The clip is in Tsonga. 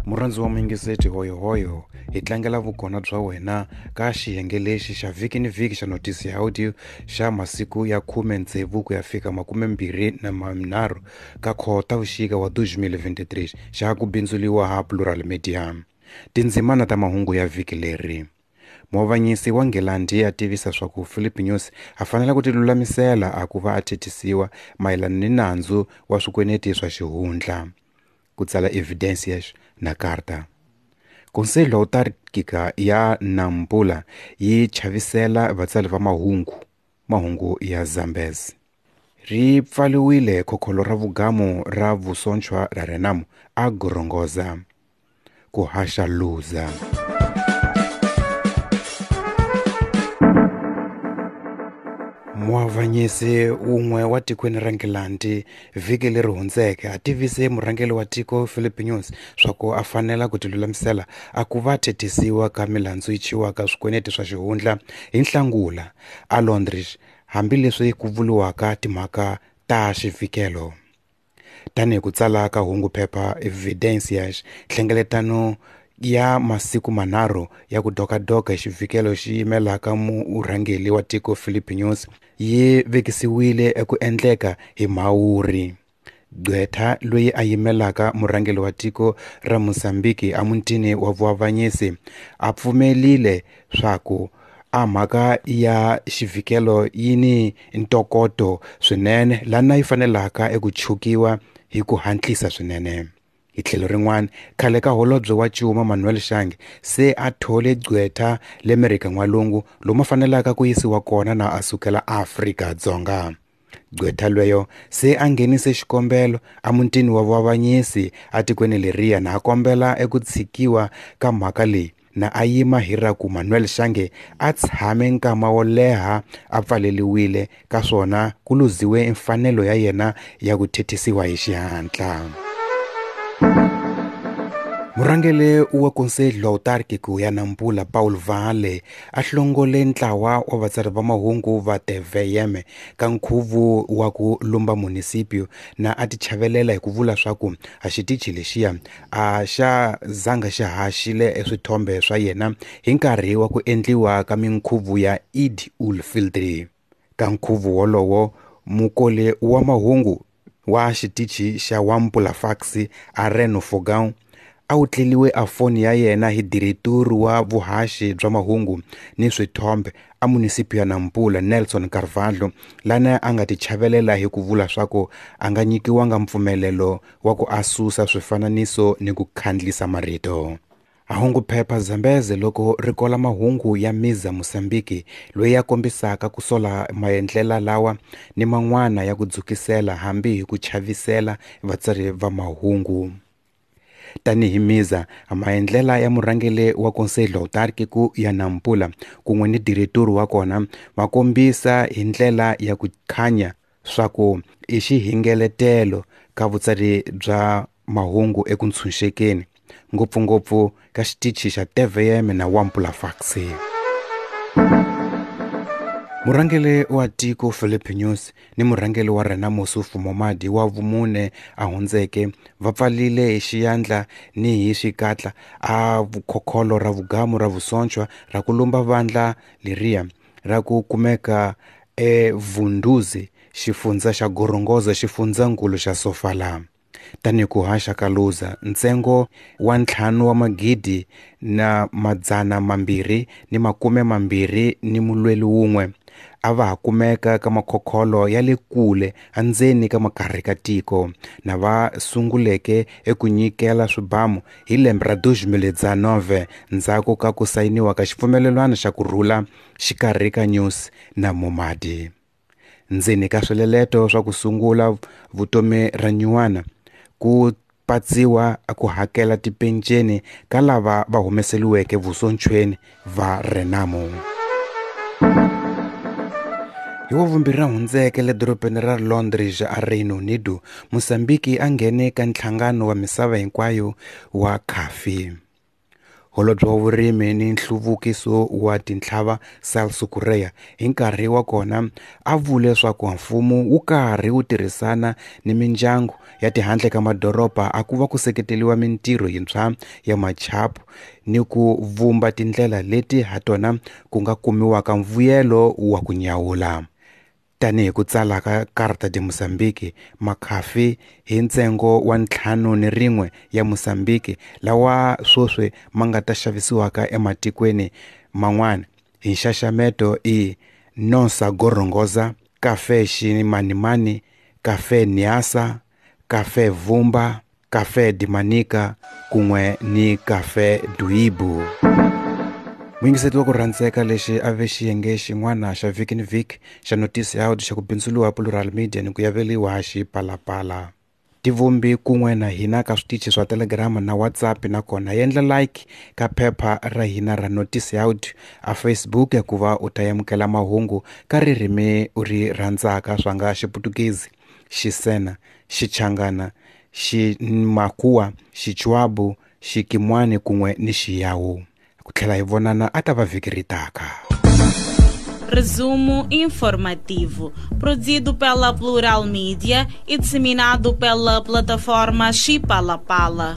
Murhandzi wa muyingiseti hoyohoyo hi tlangela vukona bya wena ka xiyenge lexi xa vhiki ni vhiki xa notisi ya audio xa masiku ya 16 ku ya fika 23 ka Khotavuxika wa 2023 xa ku bindzuliwa ha Plural Media. Tindzimana ta mahungu ya vhiki leri. Muavanyisi wa Nghilandhi a tivisa swa ku Philip News a fanele ku tilulamisela a ku va a thethisiwa mayelana ni nandzu wa swikweleti swa xihundla. Ku tsala Evidencias na Carta. Conselho Autárquica ya Nampula yi chavisela vatsari va mahungu, mahungu ya Zambezi. Ri pfaliwile khokholo ra vugamu ra vusonchwa ra Renamo a Gorongosa. Ku haxa Luza. Muavanyisi wun'we wa tikweni ra Nghilandhi vhiki leri hundzeke a tivise murhangeri wa tiko Philip News swa ku a fanela ku tilulamisela a ku va thethisiwa ka milandzu yi chiwaka swikweleti swa xihundla hi Nhlangula a Londres hambileswi ku vuriwaka timhaka ta xivhikelo. Tanihi ku tsala ka hungu phepha Evidencias, nhlengeletano ya masiku manharhu ya ku dokadoka hi xivhikelo xi yimelaka murhangeri wa tiko Philip News yi vekisiwile eku endleka hi Mhawuri. Gqwetha loyi a yimelaka murhangeri wa tiko ra Mozambique emutini wa vuavanyisi a pfumelile swa ku a mhaka ya xivhikelo yi ni ntokoto swinene lana yi fanelaka eku chukiwa hi ku hatlisa swinene. Hi tlhelo rin'wana, khale ka holobye wa Cuma Manuel Shange se a thole gqwetha le Amerika N'walungu lomu a fanelaka ku yisiwa kona na a sukela Afrika-Dzonga. Gqwetha lweyo se a nghenise xikombelo emutini wa vuavanyisi etikweni leriya na a kombela eku tshikiwa ka mhaka leyi na a yima hi ra ku Manuel Shange a tshame nkama wo leha a pfaleliwile ka swona ku luziwe mfanelo ya yena ya ku thethisiwa hi xihatla. Murhangeri wa Conselho Autárquico ya Nampula Paul Vale a hlongole ntlawa wa vatsari va mahungu va TVM ka nkhuvo wa ku lumba municipio na a tichavelela hi ku vula swa ku a xitichi lexiya a xa zanga xi haxile eswithombe swa yena hi nkarhi wa ku endliwa ka minkhuvo ya Eid ul-Fitr. Ka nkhuvo wolowo mukoli wa mahungu wa xitichi xa Wampula Fax Areno Fogão a wu tleliwe a foni ya yena hi direturi wa vuhaxi bya mahungu ni swithombe a municipio ya Nampula Nelson Carvalho lana a nga tichavelela hi ku vula swa ku a nga nyikiwanga mpfumelelo wa ku a susa swifananiso ni ku khandlisa marito. Hungu phepha Zambeze loko ri kola mahungu ya Miza Mozambique loyi a kombisaka ku sola maendlela lawa ni man'wana ya ku dzukisela hambi hi ku chavisela vatsari va mahungu. Tanihi Miza, maendlela ya murhangeri wa Conselho Autárquico ya Nampula kun'we ni direturi wa kona va kombisa hi ndlela ya ku khanya swa ku i xihingeletelo ka vutsari bya mahungu eku ntshunxekeni, ngopfungopfu ka xitichi xa TVM na Wampula Fax. Murhangeri wa tiko Philip News ni murhangeri wa Renamo Ossufo Momade wa vumune a hundzeke va pfalile hi xiyandla ni hi xikatla a vukhokholo ra vugamu ra vusonchwa ra ku lumba vandla leriya ra ku kumeka eVunduzi, xifundza xa Gorongosa, xifundzankulu xa Sofala. Tanihi ku haxa ka Luza, ntsengo wa 5 wa magidi na 221 ni mulweli wun'we a va ha kumeka ka makhokholo ya le kule endzeni ka makarhi ka tiko na va sunguleke eku nyikela swibamu hi lembe ra 2019 ndzhaku ka ku sayiniwa ka xipfumelelwano xa ku rhula xikarhi ka News na Momade. Ndzeni ka swileleto swa ku sungula vutomi ra nyuwana ku patsiwa ku hakela tipenceni ka lava va humeseliweke vusonchweni va Renamo. Hi wavumbirhi ra hundzeke le dorobeni ra Londres a Reino Unido, Mozambique a nghene ka nhlangano wa misava hinkwayo wa khafi. Holobye wa Vurimi ni Nhluvukiso wa Tintlhava Celso Correia hi nkarhi wa kona a vule leswaku mfumo wu karhi wu tirhisana ni mindyangu ya tihandle ka madoroba a ku va ku seketeriwa mintirho yintshwa ya machapu ni ku vumba tindlela leti ha tona ku nga kumiwaka mvuyelo wa ku nyawula. Tanihi ku tsala ka Carta de Moçambique, makhafi hi ntsengo wa 51 ya Moçambique lawa sweswi ma nga ta xavisiwaka ematikweni man'wana hi nxaxameto i Nossa Gorongosa, Café Ximanimani, Café Niassa, Café Vumba, Café de Manica kun'we ni Café Duibu. Muyingiseti wa ku rhandzeka lexi a ve xiyenge xin'wana xa vhiki ni vhiki xa notisi ya audio xa ku bindzuriwa Plural Media ni ku yaveliwa Xipalapala. Tivumbi kun'we na hina ka switichi swa Telegram na WhatsApp nakona yendla like ka phepha ra hina ra notisi ya audio a Facebook ku va u ta amukela mahungu ka ririmi u ri rhandzaka swa nga Xiputukezi, Xisena, Xichangana, Ximakhuwa, Xichwabu, Xikimwani kun'we ni Xiyawu. Ku tlhela hi vonana a ta va vhiki ri taka. Resumo informativo, produzido pela Plural Mídia e disseminado pela plataforma Xipalapala.